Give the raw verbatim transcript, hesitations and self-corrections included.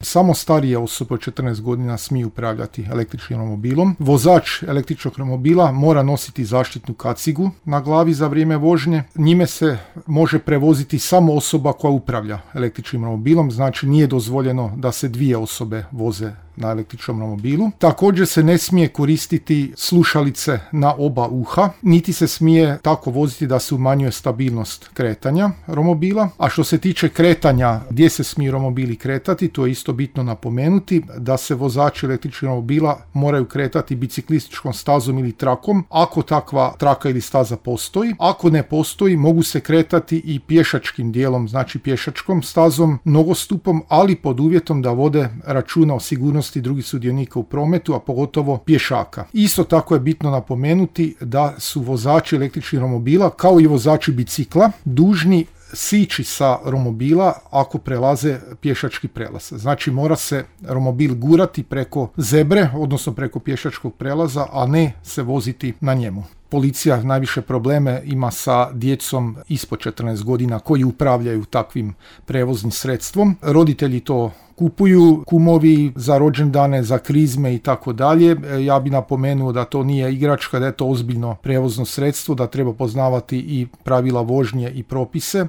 samo starije osobe od četrnaest godina smiju upravljati električnim romobilom. Vozač električnog romobila mora nositi zaštitnu kacigu na glavi za vrijeme vožnje. Njime se može prevoziti samo osoba koja upravlja električnim romobilom, znači nije dozvoljeno da se dvije osobe voze na električnom romobilu. Također se ne smije koristiti slušalice na oba uha, niti se smije tako voziti da se umanjuje stabilnost kretanja romobila. A što se tiče kretanja, gdje se smiju romobili kretati, to je isto bitno napomenuti, da se vozači električnih romobila moraju kretati biciklističkom stazom ili trakom, ako takva traka ili staza postoji. Ako ne postoji, mogu se kretati i pješačkim dijelom, znači pješačkom stazom, nogostupom, ali pod uvjetom da vode računa o sigurnosti drugih sudionika u prometu, a pogotovo pješaka. Isto tako je bitno napomenuti da su vozači električnih romobila, kao i vozači bicikla, dužni sići sa romobila ako prelaze pješački prelaz. Znači mora se romobil gurati preko zebre, odnosno preko pješačkog prelaza, a ne se voziti na njemu. Policija najviše probleme ima sa djecom ispod četrnaest godina koji upravljaju takvim prevoznim sredstvom. Roditelji to kupuju, kumovi za rođendane, za krizme i tako dalje. Ja bi napomenuo da to nije igračka, da je to ozbiljno prevozno sredstvo, da treba poznavati i pravila vožnje i propise.